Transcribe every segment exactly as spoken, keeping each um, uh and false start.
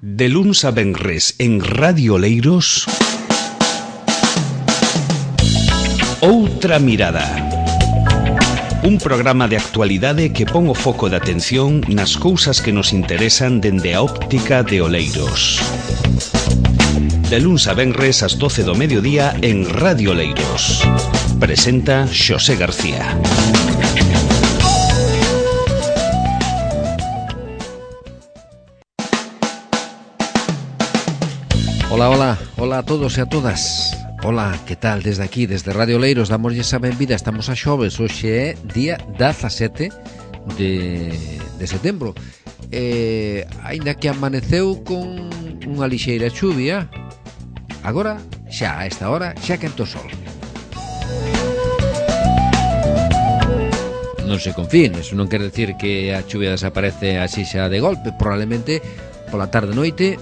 De luns a venres en Radio Oleiros, Outra Mirada. Un programa de actualidade que pon o foco de atención nas cousas que nos interesan dende a óptica de Oleiros. De luns a venres ás doce do mediodía en Radio Oleiros. Presenta Xosé García. Ola, ola, ola a todos e a todas. Ola, que tal? Desde aquí, desde Radio Oleiros, damoslle a benvida. Estamos a xoves, hoxe é día dezasete de, de setembro. eh, Ainda que amaneceu con unha lixeira chuvia, agora, xa a esta hora, xa quenta o sol. Non se confíen, eso non quere decir que a chuvia desaparece así xa de golpe. Probablemente pola tarde noite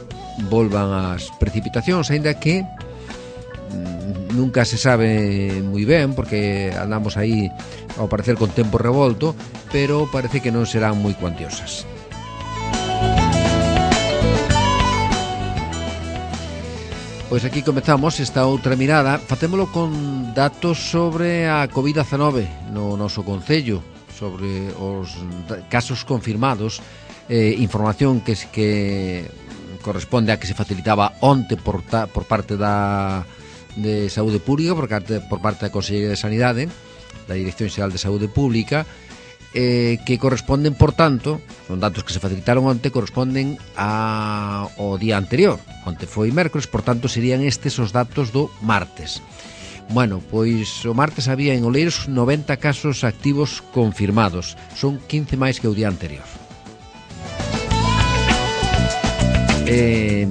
volvan as precipitacións, aínda que mm, nunca se sabe moi ben, porque andamos aí ao parecer con tempo revolto, pero parece que non serán moi cuantiosas. Pois aquí comezamos esta outra mirada. Facémolo con datos sobre a covid dezenove no noso concello, sobre os casos confirmados, eh, información que, que corresponde a que se facilitaba onte por, ta, por parte da de Saúde Pública, por parte, por parte da Consellería de Sanidade, da Dirección Xeral de Saúde Pública, eh, que corresponden, por tanto, son datos que se facilitaron onte, corresponden a, ao día anterior. Onte foi mércoles, por tanto, serían estes os datos do martes. Bueno, pois o martes había en Oleiros noventa casos activos confirmados. Son quince máis que o día anterior. Eh,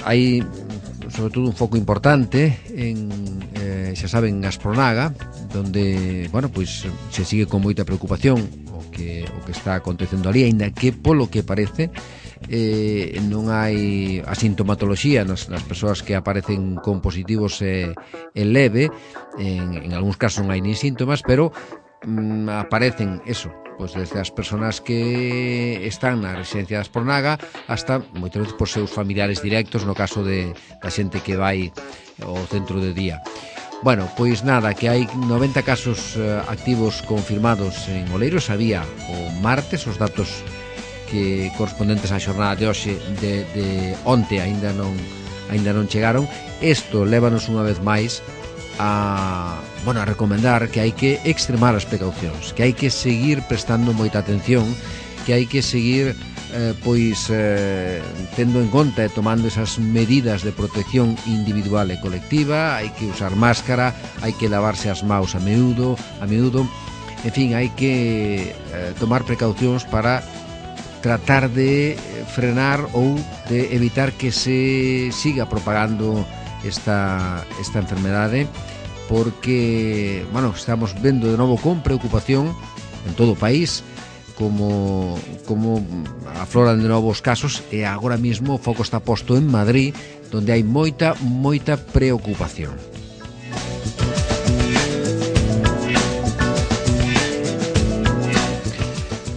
hai sobre todo un foco importante en, eh, xa saben, Aspronaga, donde, bueno, pois se sigue con moita preocupación o que, o que está acontecendo ali, aínda que polo que parece eh, non hai a sintomatoloxía nas, nas persoas que aparecen con positivos eh, en leve, en, en algúns casos non hai nin síntomas, pero mm, aparecen eso, pois desde as persoas que están na residencia de Aspronaga hasta moitas veces por seus familiares directos, no caso de da xente que vai ao centro de día. Bueno, pois nada, que hai noventa casos uh, activos confirmados en Oleiros. Había o martes os datos que correspondentes á xornada de hoxe, de, de onte aínda non aínda non chegaron. Isto lévanos unha vez máis a, bueno, a recomendar que hai que extremar as precaucións, que hai que seguir prestando moita atención, que hai que seguir eh, pois eh, tendo en conta e tomando esas medidas de protección individual e colectiva. Hai que usar máscara, hai que lavarse as maus a menudo, a menudo. En fin, hai que eh, tomar precaucións para tratar de frenar ou de evitar que se siga propagando esta, esta enfermedade, porque, bueno, estamos vendo de novo con preocupación en todo o país como, como afloran de novo os casos, e agora mesmo o foco está posto en Madrid, donde hai moita, moita preocupación.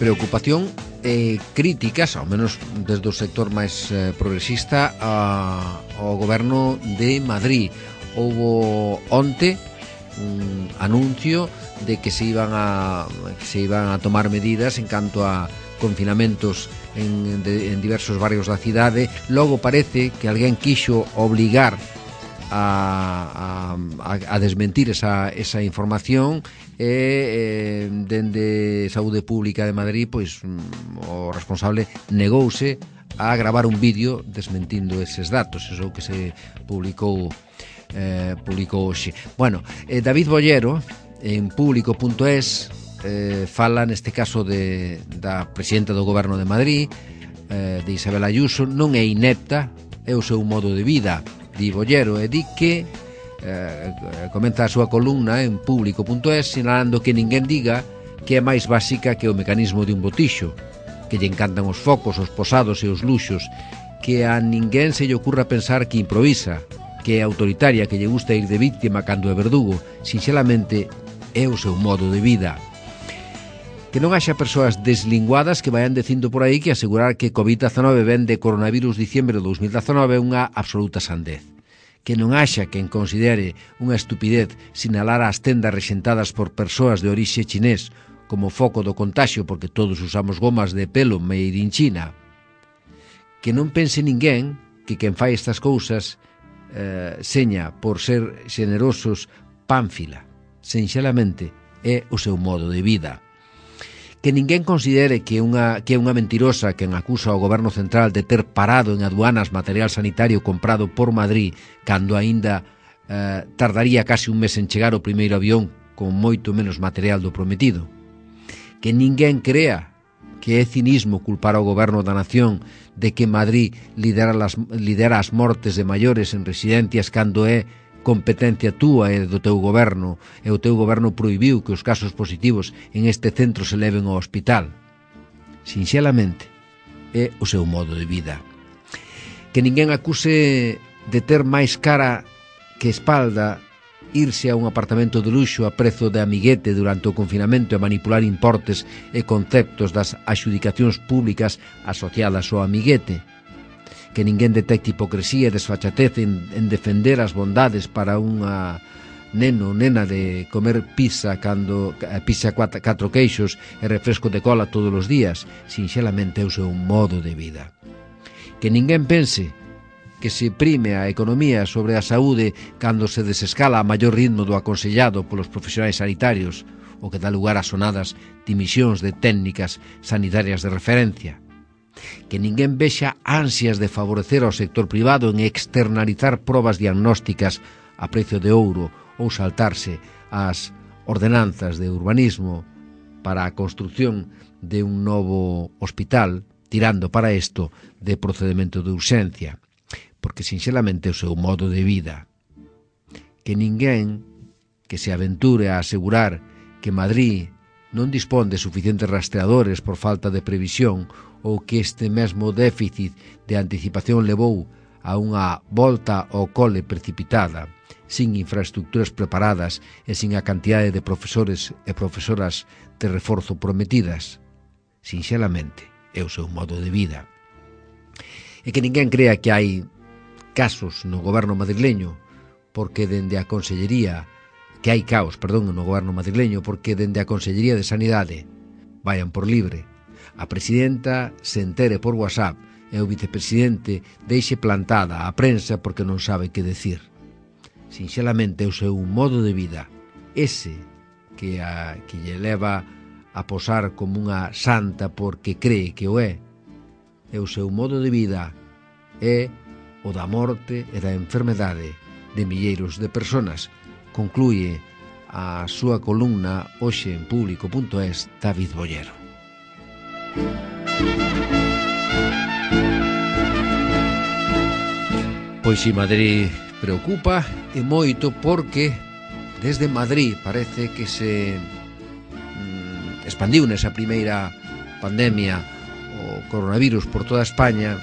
Preocupación e críticas, ao menos desde o sector máis eh, progresista, a, ao goberno de Madrid. Houbo onte un anuncio de que se iban a que se iban a tomar medidas en canto a confinamentos en, de, en diversos barrios da cidade. Logo parece que alguén quixo obligar a, a, a desmentir esa, esa información, e eh, dende Saúde Pública de Madrid, pois o responsable negouse a gravar un vídeo desmentindo eses datos. Eso que se publicou eh, publicou hoxe. Bueno, eh, David Bollero en público punto es eh, fala neste caso de, da presidenta do Goberno de Madrid, eh, de Isabel Ayuso. Non é inepta, é o seu modo de vida, di Bollero, e di que eh, comenta a súa columna en público punto es sinalando que ninguén diga que é máis básica que o mecanismo de un botixo, que lle encantan os focos, os posados e os luxos, que a ninguén se lle ocurra pensar que improvisa, que é autoritaria, que lle gusta ir de víctima cando é verdugo. Sinxelamente é o seu modo de vida. Que non haxa persoas deslinguadas que vayan dicindo por aí que asegurar que covid diecinueve ven de coronavirus diciembre de dos mil diecinueve é unha absoluta sandez. Que non haxa quen considere unha estupidez sinalar as tendas rexentadas por persoas de orixe chinés como foco do contagio porque todos usamos gomas de pelo made in China. Que non pense ninguén que quen fai estas cousas eh, seña por ser xenerosos pánfila. Sinxelamente é o seu modo de vida. Que ninguén considere que, unha, que é unha mentirosa quen acusa ao goberno central de ter parado en aduanas material sanitario comprado por Madrid cando aínda eh, tardaría case un mes en chegar o primeiro avión con moito menos material do prometido. Que ninguén crea que é cinismo culpar ao goberno da nación de que Madrid lidera, las, lidera as mortes de maiores en residencias cando é competencia túa e do teu goberno e o teu goberno prohibiu que os casos positivos en este centro se leven ao hospital. Sinxelamente, é o seu modo de vida. Que ninguén acuse de ter máis cara que espalda irse a un apartamento de luxo a prezo de amiguete durante o confinamento e manipular importes e conceptos das adxudicacións públicas asociadas ao amiguete. Que ninguén detecte hipocresía e desfachatez en, en defender as bondades para unha neno ou nena de comer pizza cando pizza cuatro, catro queixos e refresco de cola todos os días, sinxelamente é o seu modo de vida. Que ninguén pense que se prime a economía sobre a saúde cando se desescala a maior ritmo do aconsellado polos profesionais sanitarios, o que dá lugar a sonadas dimisións de técnicas sanitarias de referencia. Que ninguén vexa ansias de favorecer ao sector privado en externalizar probas diagnósticas a precio de ouro ou saltarse as ordenanzas de urbanismo para a construción de un novo hospital, tirando para isto de procedimento de urxencia, porque sinxelamente é o seu modo de vida. Que ninguén que se aventure a asegurar que Madrid non dispón de suficientes rastreadores por falta de previsión ou que este mesmo déficit de anticipación levou a unha volta ao cole precipitada, sin infraestructuras preparadas e sin a cantidade de profesores e profesoras de reforzo prometidas. Sinxelamente, é o seu modo de vida. E que ninguén crea que hai casos no goberno madrileño porque dende a Consellería que hai caos, perdón, no goberno madrileño porque dende a Consellería de Sanidade vayan por libre. A presidenta se entere por WhatsApp e o vicepresidente deixe plantada a prensa porque non sabe que decir. Sinxelamente é o seu modo de vida, ese que, a, que lle leva a posar como unha santa porque cree que o é. É o seu modo de vida, é o da morte e da enfermedade de milleiros de personas. Concluye a súa columna hoxe en público punto es David Bollero. Pois si Madrid preocupa e moito porque desde Madrid parece que se mm, expandiu nesa primeira pandemia o coronavirus por toda España.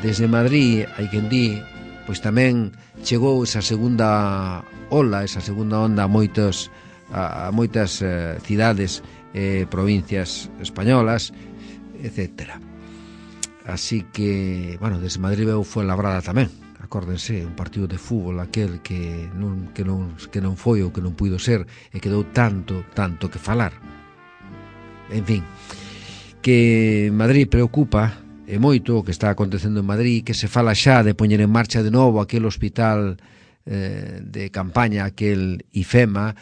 Desde Madrid, hai quen di, pois tamén chegou esa segunda ola, esa segunda onda a moitos a, a moitas eh, cidades e eh, provincias españolas, etcétera. Así que, bueno, desde Madrid veu Fuenlabrada tamén. Acórdense, un partido de fútbol aquel que non, que non, que non foi ou que non puido ser e que deu tanto, tanto que falar. En fin, que Madrid preocupa e moito o que está acontecendo en Madrid, que se fala xa de poñer en marcha de novo aquel hospital eh, de campaña, aquel IFEMA,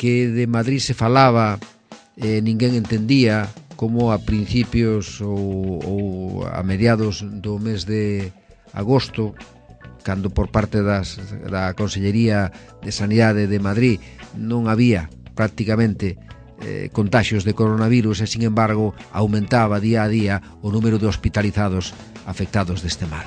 que de Madrid se falaba e eh, ninguén entendía como a principios ou, ou a mediados do mes de agosto, cando por parte das, da Consellería de Sanidade de Madrid non había prácticamente eh, contaxios de coronavirus e, sin embargo, aumentaba día a día o número de hospitalizados afectados deste mal.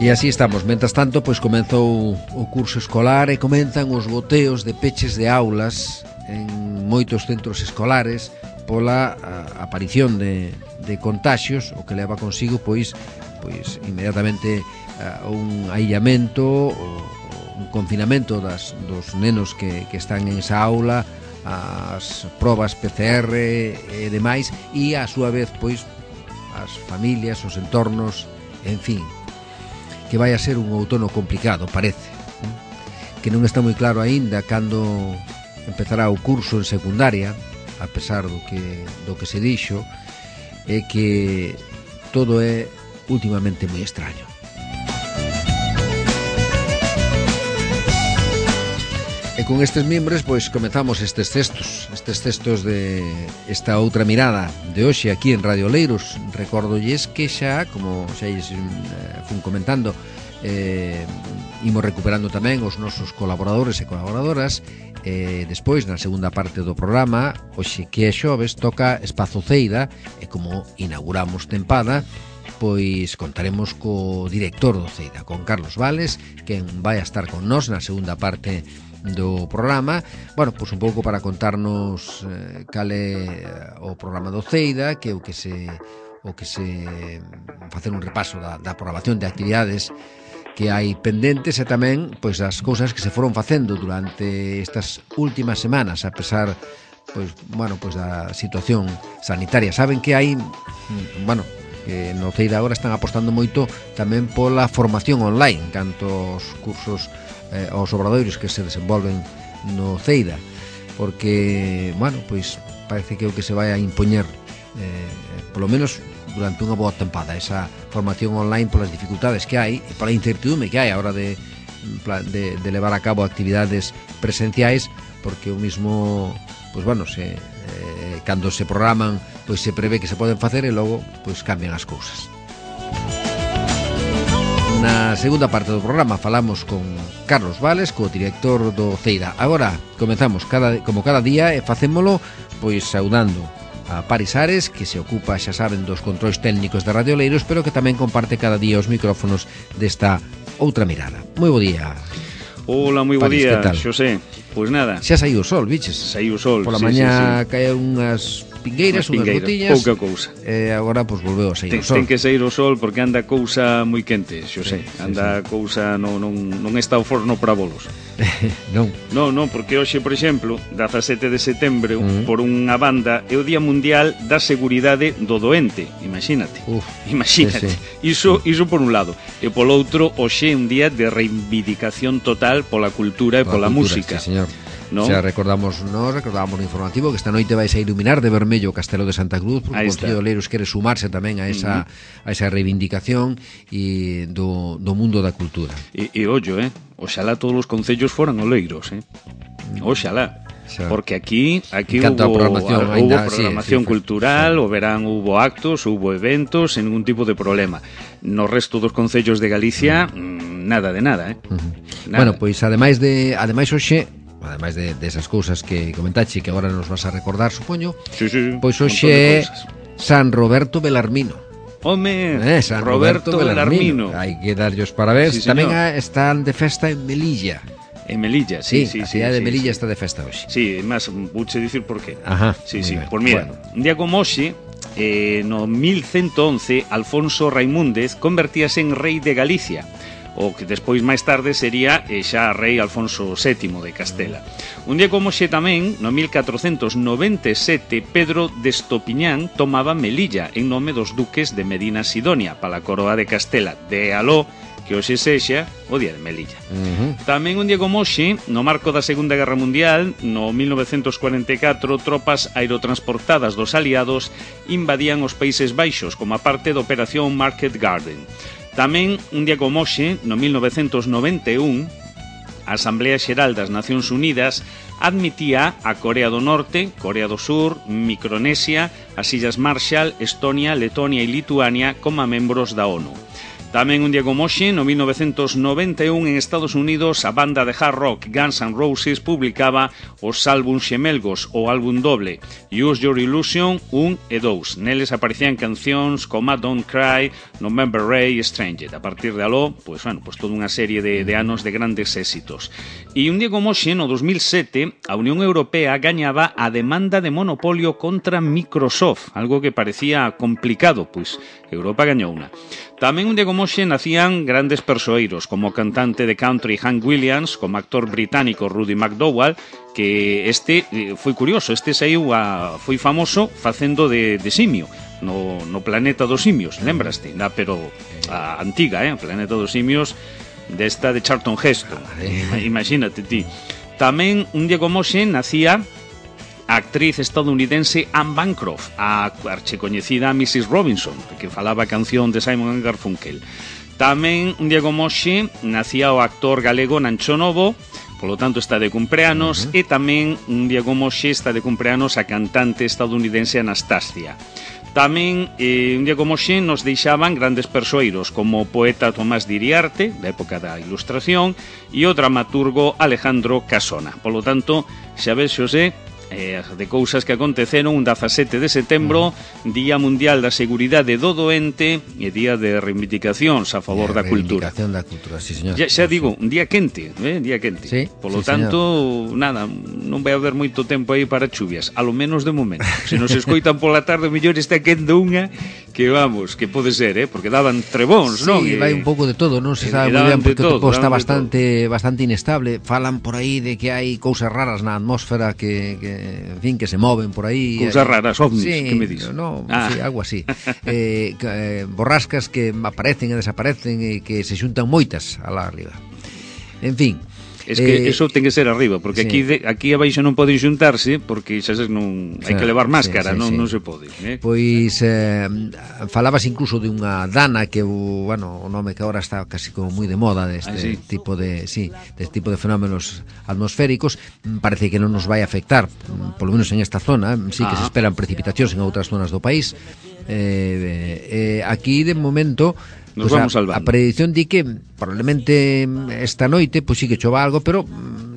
E así estamos. Mentres tanto, pois comezou o curso escolar e comenzan os boteos de peches de aulas en moitos centros escolares pola a, aparición de, de contaxios, o que leva consigo pois pois inmediatamente a, un aillamento, o, un confinamento das, dos nenos que, que están en esa aula, as probas P C R e demais, e a súa vez, pois, as familias, os entornos, en fin, que vai a ser un outono complicado, parece, que non está moi claro aínda cando empezará o curso en secundaria, a pesar do que, do que se dixo, é que todo é últimamente moi extraño. E con estes mimbres, pois, comezamos estes textos, estes textos de esta outra mirada de hoxe aquí en Radio Oleiros. Recórdolles que xa, como xa eh, fun comentando, eh, imos recuperando tamén os nosos colaboradores e colaboradoras. Eh, despois, na segunda parte do programa, hoxe que é xoves, toca Espazo Ceida, e como inauguramos tempada, pois contaremos co director do Ceida, con Carlos Vales, quen vai a estar con nós na segunda parte do programa, bueno, pois un pouco para contarnos eh, cal é o programa do Ceida, que é o que se o que se facer un repaso da, da programación de actividades que hai pendentes e tamén pois as cousas que se foron facendo durante estas últimas semanas, a pesar pois bueno, pois da situación sanitaria. Saben que hai, bueno, que no Ceida agora están apostando moito tamén pola formación online, canto os cursos eh, aos obradoiros que se desenvolven no Ceida, porque, bueno, pois parece que é o que se vai a impoñer eh, polo menos durante unha boa tempada, esa formación online polas dificultades que hai e pola incertidumbre que hai a hora de, de, de levar a cabo actividades presenciais, porque o mismo, pois bueno, se, eh, cando se programan, pois se prevé que se poden facer e logo pois cambian as cousas. Na segunda parte do programa falamos con Carlos Vales, co director do Ceida. Agora comezamos cada, como cada día e facémolo pois saudando a Paris Ares, que se ocupa, xa saben, dos controis técnicos de Radio Oleiros, pero que tamén comparte cada día os micrófonos desta outra mirada. Moi bo día. Hola, moi bo Paris, día, Xosé. Pois nada. Xa saiu o sol, biches? Saiu o sol, Pola sí, mañá sí, sí. caeu unhas pingueiras, unhas gotiñas. Pouca cousa. E agora, pois, volveu a sair ten, o sol. Ten que sair o sol porque anda cousa moi quente, Xosé. Sí, sí, anda sí. cousa, non, non, non está o forno para bolos. Non. Non, non, porque hoxe, por exemplo, dezasete de setembro, Uh-huh. por unha banda, é o Día Mundial da Seguridade do Doente. Imagínate. Uf, Imagínate. sí, sí. Iso, iso por un lado. E polo outro, hoxe é un día de reivindicación total pola cultura e pola, Pola cultura, música. sí, señor. ¿No? Xa recordamos, nós recordamos no informativo que esta noite vais a iluminar de vermello o Castelo de Santa Cruz, porque o Concello de Oleiros quere sumarse tamén a esa, uh-huh. a esa reivindicación e do, do mundo da cultura. E, e ollo, eh? Oxalá todos os concellos foran oleiros, eh? Oxalá. Xa. Porque aquí aquí En canto hubo, a programación, a, ainda, hubo programación sí, sí, cultural, sí. o verán hubo actos, hubo eventos, sen ningún tipo de problema. No resto dos concellos de Galicia, mm, nada de nada, eh? Uh-huh. Nada. Bueno, pois ademais de ademais hoxe, ademais de desas de cousas que comentache que agora nos vas a recordar, supoño, sí, sí, sí, pois un hoxe montón de é cousas. San Roberto Belarmino. Home, Eh, San Roberto, Roberto Belarmino. Hai que darlle os parabéns. Sí, Tamén señor. a, están de festa en Melilla. En Melilla, sí, sí, a sí. cidade sí, de Melilla sí. está de festa hoxe. Sí, máis, vouche dicir por qué. Ajá. Sí, moi sí, ben. pues mira, Bueno. un día como hoxe, eh, no mil ciento once, Alfonso Raimúndez convertíase en rei de Galicia, o que despois máis tarde sería eh, xa rei Alfonso sétimo de Castela. Un día como hoxe tamén, no mil catrocentos noventa e sete, Pedro de Estopiñán tomaba Melilla en nome dos duques de Medina Sidonia para a coroa de Castela. De aló que hoxe sexa o día de Melilla. Uh-huh. Tamén un día como hoxe, no marco da Segunda Guerra Mundial, no mil novecentos cuarenta e catro, tropas aerotransportadas dos aliados invadían os Países Baixos como a parte da Operación Market Garden. Tamén un día como hoxe, no mil novecentos noventa e un, a Asamblea Xeral das Nacións Unidas admitía a Corea do Norte, Corea do Sur, Micronesia, as Illas Marshall, Estonia, Letonia e Lituania como membros da ONU. Tamén un día como hoxe, no mil novecentos noventa e un, en Estados Unidos, a banda de hard rock Guns N' Roses publicaba os álbuns xemelgos, o álbum doble Use Your Illusion un e dous. Neles aparecían cancións como Don't Cry, November Rain e Stranger. A partir de aló, pues, bueno, pues toda unha serie de, de anos de grandes éxitos. E un día como hoxe, no dos mil sete, a Unión Europea gañaba a demanda de monopolio contra Microsoft, algo que parecía complicado, pois Europa gañou unha. Tamén un día como Moxe nacían grandes persoeiros, como o cantante de country Hank Williams, como actor británico Rudy McDowall, que este foi curioso, este saiu a, foi famoso facendo de, de simio no, no Planeta dos Simios, lembraste? Na, pero a antiga, eh? Planeta dos Simios desta de Charlton Heston, imagínate ti. Tamén un Diego Moxe nacía a actriz estadounidense Anne Bancroft, a archecoñecida missus Robinson, que falaba a canción de Simon and Garfunkel. Tamén un Diego Moxe nacía o actor galego Nancho Novo, polo tanto está de cumpleanos, uh-huh. E tamén un Diego Moxe está de cumpleanos a cantante estadounidense Anastasia. Tamén eh, un Diego Moxe nos deixaban grandes persoeiros como o poeta Tomás de Iriarte, da época da Ilustración, e o dramaturgo Alejandro Casona. Polo tanto, xa ves, Xosé, eh, de cousas que aconteceron un dezasete de setembro, Día Mundial da Seguridade do Doente e Día de Reivindicacións a favor da cultura. Reivindicación da cultura, sí, señor. Ya, xa digo, un día quente, eh? Día quente. Sí, Polo sí, tanto, señor. Nada, non vai haber moito tempo aí para chuvias, a lo menos de momento. Se nos escoitan pola tarde, mellor está quente unha, que vamos, que pode ser, eh? Porque daban trebóns, sí, non? Sí, vai un pouco de todo, non se sabe moi ben, porque todo, o tempo está bastante bastante inestable. Falan por aí de que hai cousas raras na atmósfera que, que en fin, que se moven por aí. Cousas raras, ovnis, sí, que me dis? No, ah. sí, algo así. eh, eh, borrascas que aparecen e desaparecen e que se xuntan moitas alá arriba. En fin, es que eh, eso ten que ser arriba, porque sí. aquí de, aquí abaixo non poden xuntarse, porque xa sabes, non hai que levar máscara, sí, sí, non, sí. non se pode, eh? Pois eh, falabas incluso de unha dana que, bueno, o nome que agora está casi como moi de moda deste ah, sí. tipo de, sí, deste tipo de fenómenos atmosféricos. Parece que non nos vai afectar, polo menos en esta zona, sí que ah. se esperan precipitacións en outras zonas do país. Eh, eh, aquí de momento nos pues vamos a, salvando. A predicción di que probablemente esta noite pois pues sí que chova algo, pero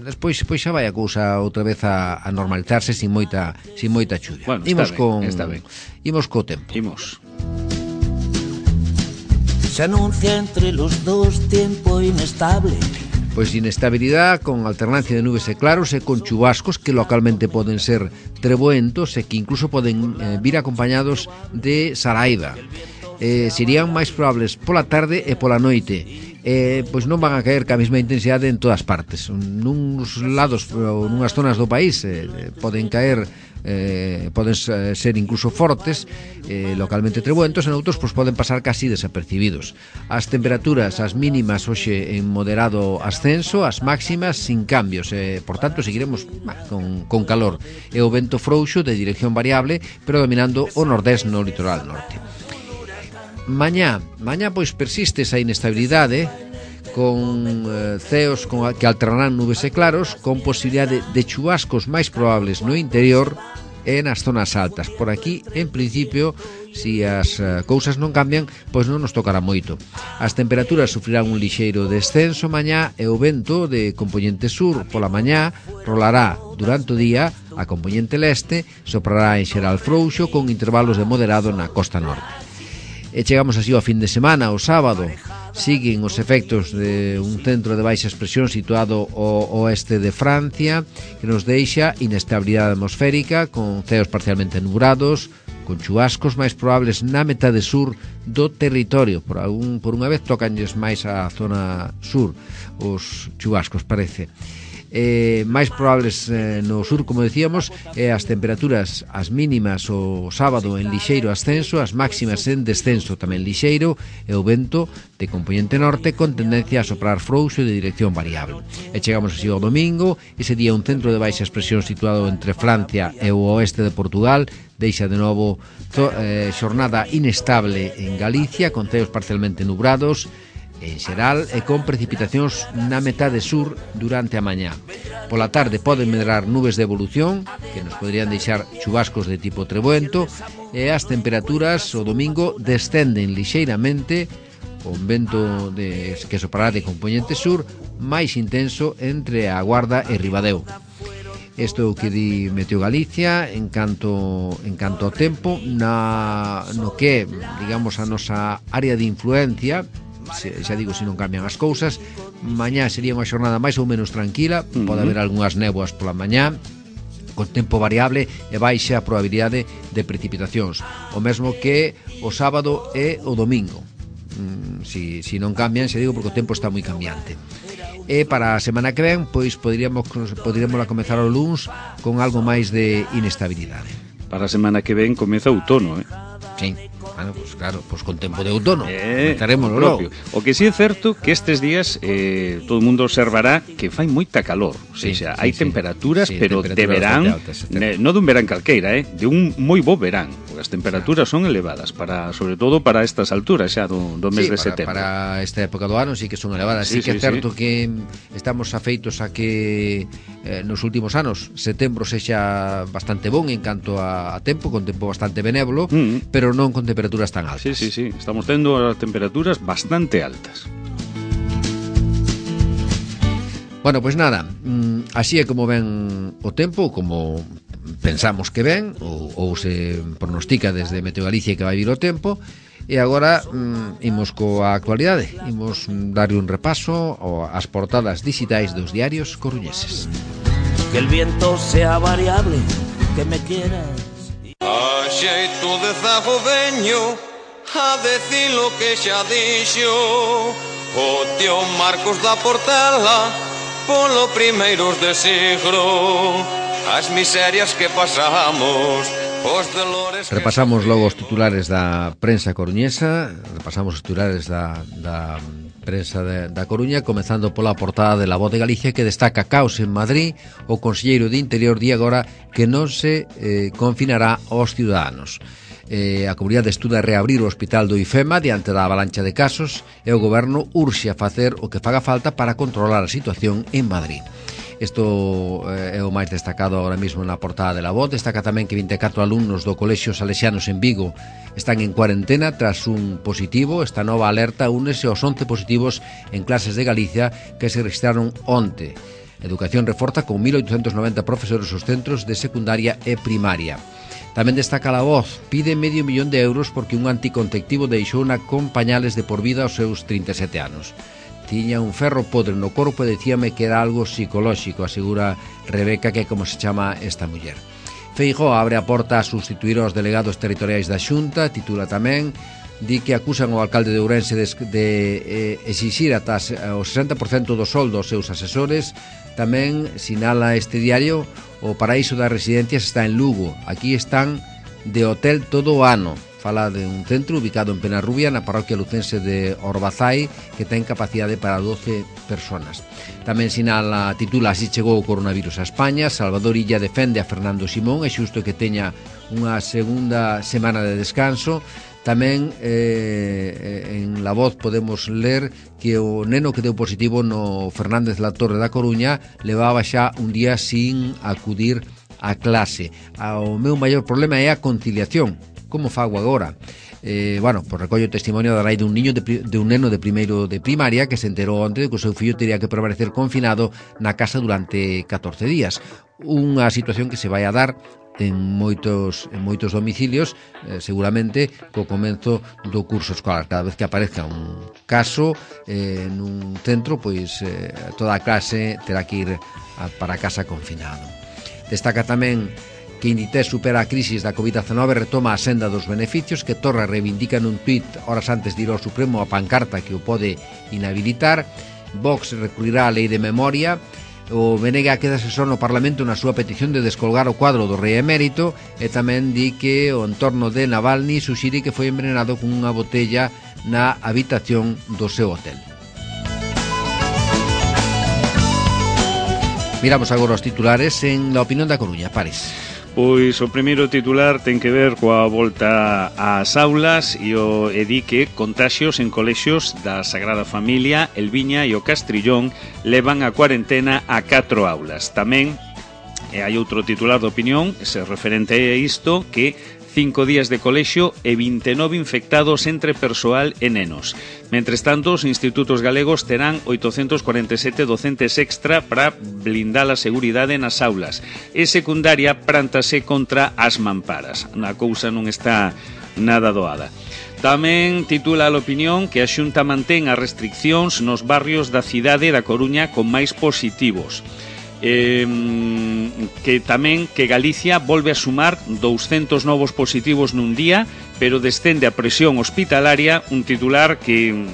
despois pois xa vai a cousa outra vez a, a normalizarse sin moita sin moita chuvia. Bueno, imos ben, con está ben. Imos co tempo. Imos. Se anuncia entre los dos tiempo inestable. Pois inestabilidade con alternancia de nubes e claros e con chubascos que localmente poden ser treboentos e que incluso poden eh, vir acompañados de saraiva. Eh, serían máis probables pola tarde e pola noite. Eh, pois non van a caer ca mesma intensidade en todas partes. Nuns lados ou nunhas zonas do país eh, poden caer eh, poden ser incluso fortes, eh, localmente treboentos, en outros pois poden pasar casi desapercibidos. As temperaturas, as mínimas hoxe en moderado ascenso, as máximas sin cambios, eh, por tanto seguiremos bah, con, con calor, e o vento frouxo de dirección variable, pero dominando o nordés no litoral norte. Mañá, mañá pois persiste esa inestabilidade con eh, ceos con, que alternarán nubes e claros, con posibilidade de chubascos máis probables no interior e nas zonas altas. Por aquí, en principio, si as uh, cousas non cambian, pois non nos tocará moito. As temperaturas sufrirán un lixeiro descenso mañá e o vento de compoñente sur pola mañá rolará durante o día a compoñente leste, soprará en xeral frouxo con intervalos de moderado na costa norte. E chegamos así ao fin de semana, o sábado. Siguen os efectos de un centro de baixas presións situado ao oeste de Francia, que nos deixa inestabilidade atmosférica con ceos parcialmente nubrados, con chubascos máis probables na metade sur do territorio. Por, algún, por unha vez tocanlles máis a zona sur os chubascos, parece. Eh, máis probables eh, no sur, como decíamos, e as temperaturas, as mínimas o sábado en lixeiro ascenso, as máximas en descenso tamén lixeiro, e o vento de compoñente norte con tendencia a soprar frouxo de dirección variable. E chegamos así ao domingo, ese día un centro de baixas presións situado entre Francia e o oeste de Portugal deixa de novo to, eh, xornada inestable en Galicia, con ceos parcialmente nubrados en xeral e con precipitacións na metade sur durante a mañá. Pola tarde poden medrar nubes de evolución que nos poderían deixar chubascos de tipo treboento, e as temperaturas o domingo descenden lixeiramente con vento de, que soprará de compoñente sur máis intenso entre a Guarda e Ribadeo. Isto é o que di Meteo Galicia en canto, en canto ao tempo. Na, no que, digamos, a nosa área de influencia, se, xa digo, se non cambian as cousas, mañá sería unha xornada máis ou menos tranquila. Uh-huh. Pode haber algunhas néboas pola mañá, con tempo variable e baixa a probabilidade de precipitacións, o mesmo que o sábado e o domingo. mm, si, si non cambian, se digo porque o tempo está moi cambiante. E para a semana que ven, pois poderíamos poderíamos comezar o luns con algo máis de inestabilidade. Para a semana que ven comeza outono, eh? Sí, bueno, pues claro, pues con tempo de outono eh, comezaremos logo. O que sí é certo que estes días eh, todo o mundo observará que fai moita calor, o sí, sea, sí, hai sí, temperaturas, sí, pero temperaturas de verán, altas, eh, non dun verán calqueira, eh, de un moi bo verán, porque as temperaturas son elevadas, para sobre todo para estas alturas xa do, do mes sí, de para, setembro. Para esta época do ano sí que son elevadas, sí, sí que é sí, certo sí. que estamos afeitos a que eh, nos últimos anos setembro sexa bastante bon en canto a, a tempo, con tempo bastante benévolo, mm. pero non con temperaturas tan altas. Sí, sí, sí, estamos tendo as temperaturas bastante altas. Bueno, pois pues nada, así é como ven o tempo, como pensamos que ven, ou, ou se pronostica desde Meteo Galicia que vai vir o tempo. E agora mm, imos coa actualidade, imos darle un repaso ás portadas digitais dos diarios coruñeses. Que el viento sea variable, que me quieras. A xeito de zago veño a decir lo que xa dixo o tío Marcos da Portela polo primeiros de siglo, as miserias que pasamos. Repasamos logo os titulares da prensa coruñesa, repasamos os titulares da, da prensa de, da Coruña, comezando pola portada de La Voz de Galicia, que destaca caos en Madrid. O conselleiro de Interior di agora que non se eh, confinará aos ciudadanos. Eh, a comunidade estuda reabrir o hospital do IFEMA diante da avalancha de casos e o goberno urxe a facer o que faga falta para controlar a situación en Madrid. Isto eh, é o máis destacado agora mesmo na portada de La Voz. Destaca tamén que vinte e catro alumnos do Colexio Salesianos en Vigo están en cuarentena tras un positivo. Esta nova alerta únese aos once positivos en clases de Galicia que se registraron onte. Educación reforza con mil oitocentos noventa profesores os centros de secundaria e primaria. Tamén destaca La Voz, pide medio millón de euros porque un anticonceptivo deixouna con pañales de por vida aos seus trinta e sete anos. Tiña un ferro podre no corpo e decíame que era algo psicolóxico, asegura Rebeca, que é como se chama esta muller. Feijóo abre a porta a sustituir aos delegados territoriais da Xunta, titula tamén, di que acusan o alcalde de Ourense de, de eh, exixir ata o sesenta por cento do soldo aos seus asesores. Tamén sinala este diario, o paraíso das residencias está en Lugo, aquí están de hotel todo o ano. Fala de un centro ubicado en Penarrubia, na parroquia lucense de Orbazai, que ten capacidade para doce personas. Tamén sinala, titula Así chegou o coronavirus a España. Salvador Illa defende a Fernando Simón, é xusto que teña unha segunda semana de descanso. Tamén eh, en La Voz podemos ler que o neno que deu positivo no Fernández La Torre da Coruña levaba xa un día sin acudir a clase. O meu maior problema é a conciliación. Como fago agora? Eh, bueno, pues recollo testimonio da nai dun niño de, de un neno de primeiro de primaria que se enterou onte de que o seu fillo teria que permanecer confinado na casa durante catorce días. Unha situación que se vai a dar en moitos en moitos domicilios, eh, seguramente co comenzo do curso escolar. Cada vez que aparezca un caso eh, nun centro, pois eh, toda a clase terá que ir a, para casa confinado. Destaca tamén que Inditex supera a crisis da covid dezenove, retoma a senda dos beneficios, que Torra reivindica nun tuit horas antes de ir ao Supremo a pancarta que o pode inhabilitar. Vox recurrirá a lei de memoria. O Venega quedase só no Parlamento na súa petición de descolgar o cuadro do rei emérito, e tamén di que o entorno de Navalny suxire que foi envenenado con unha botella na habitación do seu hotel. Miramos agora os titulares en La Opinión da Coruña. Pares. Pois o primeiro titular ten que ver coa volta ás aulas e o e di que contaxios en colexios da Sagrada Familia, El Viña e o Castrillón levan a cuarentena a catro aulas. Tamén e hai outro titular de Opinión, se referente a isto, que cinco días de colexio e vinte e nove infectados entre persoal e nenos. Mentres tanto, os institutos galegos terán oitocentos cuarenta e sete docentes extra para blindar a seguridade nas aulas. E secundaria prántase contra as mamparas. A cousa non está nada doada. Tamén titula a Opinión que a Xunta mantén as restriccións nos barrios da cidade da Coruña con máis positivos. eh, que tamén que Galicia volve a sumar douscentos novos positivos nun día, pero descende a presión hospitalaria, un titular que...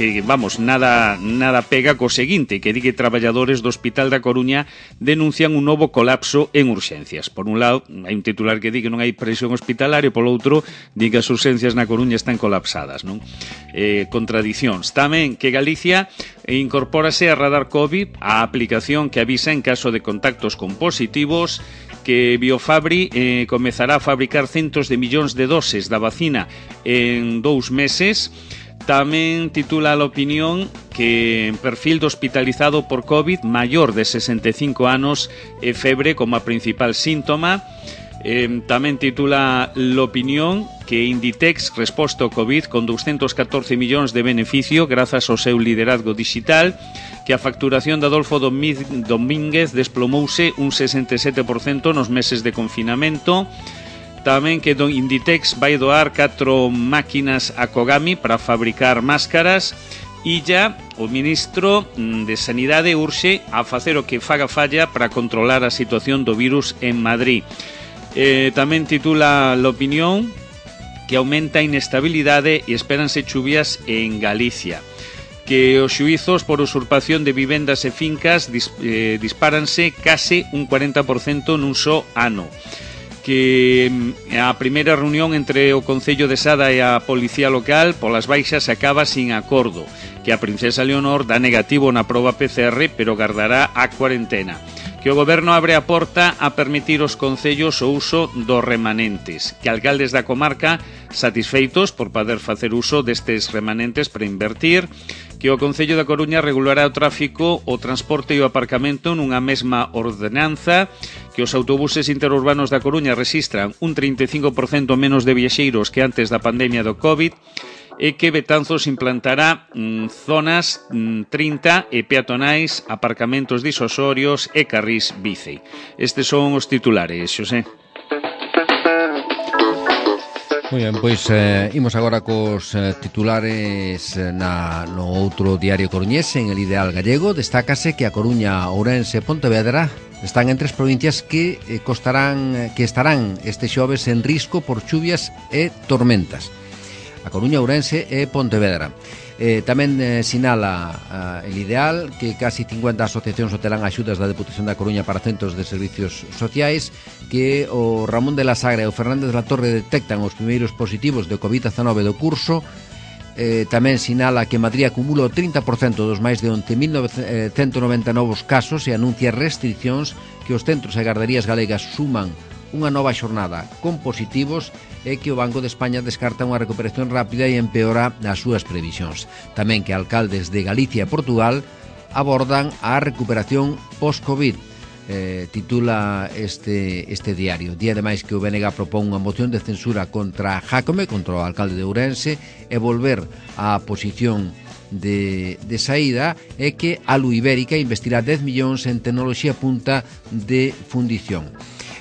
que, vamos, nada nada pega co seguinte, que di que traballadores do Hospital da Coruña denuncian un novo colapso en urxencias. Por un lado, hai un titular que di que non hai presión hospitalaria, polo outro, di que as urxencias na Coruña están colapsadas, non? Eh, contradicións. Tamén que Galicia incorpórase a Radar COVID, a aplicación que avisa en caso de contactos con positivos, que Biofabri eh, comezará a fabricar centos de millóns de doses da vacina en dous meses. Tamén titula a opinión que perfil do hospitalizado por COVID maior de sesenta e cinco anos e febre como a principal síntoma. Eh, tamén titula l'opinión que Inditex resposta ao COVID con doscientos catorce millóns de beneficio grazas ao seu liderazgo digital, que a facturación de Adolfo Domínguez desplomouse un sesenta e sete por cento nos meses de confinamento. Tamén que Inditex vai doar catro máquinas a Kogami para fabricar máscaras. E ya o ministro de Sanidade urxe a facer o que faga falla para controlar a situación do virus en Madrid. Eh, tamén titula l'opinión que aumenta a inestabilidade e espéranse chuvias en Galicia. Que os xuizos por usurpación de vivendas e fincas dis, eh, dispáranse case un cuarenta por cento nun só ano. Que a primeira reunión entre o Concello de Sada e a Policía Local polas baixas acaba sin acordo, que a princesa Leonor dá negativo na proba P C R pero gardará a cuarentena, que o Goberno abre a porta a permitir aos concellos o uso dos remanentes, que alcaldes da comarca satisfeitos por poder facer uso destes remanentes para invertir, que o Concello da Coruña regulará o tráfico, o transporte e o aparcamento nunha mesma ordenanza, que os autobuses interurbanos da Coruña registran un trinta e cinco por cento menos de viaxeiros que antes da pandemia do COVID, e que Betanzos implantará mm, zonas mm, trinta e peatonais, aparcamentos disosorios e carrís bici. Estes son os titulares, Xosé. Moi ben, pois eh, imos agora cos eh, titulares eh, na, no outro diario coruñés. En El Ideal Gallego destácase que a Coruña, Ourense e Pontevedra están entre as provincias que eh, costarán que estarán este xoves en risco por chuvias e tormentas. A Coruña, Ourense e Pontevedra. Eh, tamén eh, sinala eh, El Ideal que casi cincuenta asociacións obterán axudas da Deputación da Coruña para centros de servicios sociais, que o Ramón de la Sagra e o Fernández de la Torre detectan os primeiros positivos de COVID diecinueve do curso. Eh, tamén sinala que Madrid acumula o trinta por cento dos máis de once mil ciento noventa novos casos e anuncia restriccións, que os centros e garderías galegas suman unha nova xornada con positivos e que o Banco de España descarta unha recuperación rápida e empeora as súas previsións. Tamén que alcaldes de Galicia e Portugal abordan a recuperación post-COVID. Eh, titula este, este diario. Día ademais que o B N G propón unha moción de censura contra Jácome, contra o alcalde de Ourense, e volver á posición de, de saída, e que a Lu Ibérica investirá dez millóns en tecnoloxía punta de fundición.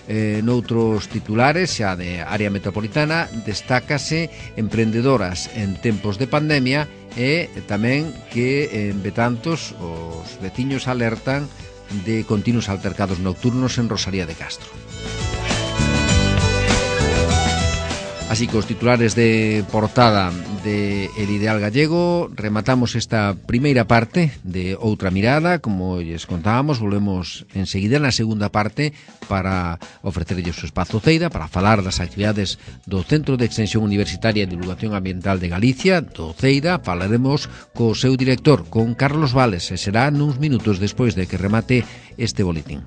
Eh, noutros titulares, xa de área metropolitana, destácase emprendedoras en tempos de pandemia, e tamén que en Betanzos os veciños alertan de continuos altercados nocturnos en Rosalía de Castro. Así que os titulares de portada de El Ideal Gallego, rematamos esta primeira parte de Outra Mirada. Como lles contábamos, volvemos enseguida na segunda parte para ofrecerlles o espazo Ceida, para falar das actividades do Centro de Extensión Universitaria e Divulgación Ambiental de Galicia, do Ceida. Falaremos co seu director, con Carlos Vales, e será nuns minutos despois de que remate este boletín.